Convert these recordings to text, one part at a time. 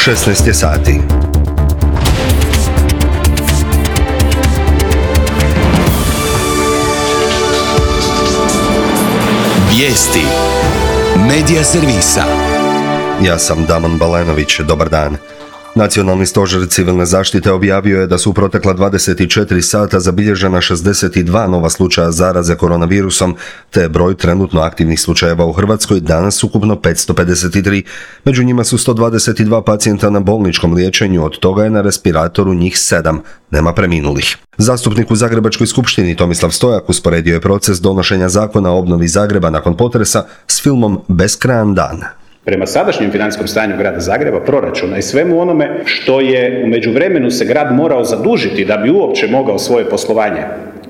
16 je sati. Vijesti Medija servisa. Ja sam Damon Balenović, dobar dan. Nacionalni stožer civilne zaštite objavio je da su u protekla 24 sata zabilježena 62 nova slučaja zaraze koronavirusom, te je broj trenutno aktivnih slučajeva u Hrvatskoj danas ukupno 553. Među njima su 122 pacijenta na bolničkom liječenju, od toga je na respiratoru njih 7. Nema preminulih. Zastupnik u Zagrebačkoj skupštini Tomislav Stojak usporedio je proces donošenja zakona o obnovi Zagreba nakon potresa s filmom Beskrajan dan. Prema sadašnjem financijskom stanju grada Zagreba, proračuna i svemu onome što je u međuvremenu se grad morao zadužiti da bi uopće mogao svoje poslovanje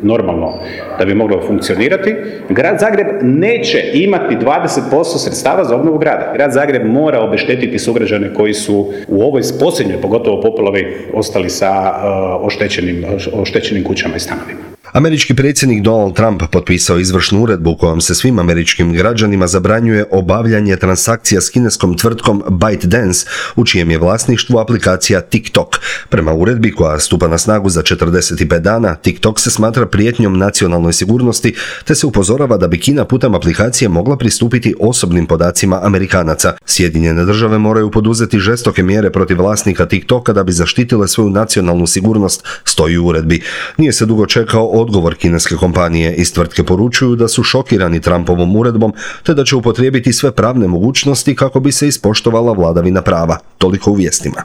normalno, da bi moglo funkcionirati, grad Zagreb neće imati 20% sredstava za obnovu grada. Grad Zagreb mora obeštetiti sugrađane koji su u ovoj posljednjoj, pogotovo poplavi, ostali sa oštećenim kućama i stanovima. Američki predsjednik Donald Trump potpisao izvršnu uredbu kojom se svim američkim građanima zabranjuje obavljanje transakcija s kineskom tvrtkom ByteDance, u čijem je vlasništvu aplikacija TikTok. Prema uredbi koja stupa na snagu za 45 dana, TikTok se smatra prijetnjom nacionalnoj sigurnosti, te se upozorava da bi Kina putem aplikacije mogla pristupiti osobnim podacima Amerikanaca. Sjedinjene države moraju poduzeti žestoke mjere protiv vlasnika TikToka da bi zaštitile svoju nacionalnu sigurnost, stoji u uredbi. Nije se dugo čekao odgovor kineske kompanije. Iz tvrtke poručuju da su šokirani Trumpovom uredbom, te da će upotrijebiti sve pravne mogućnosti kako bi se ispoštovala vladavina prava. Toliko u vijestima.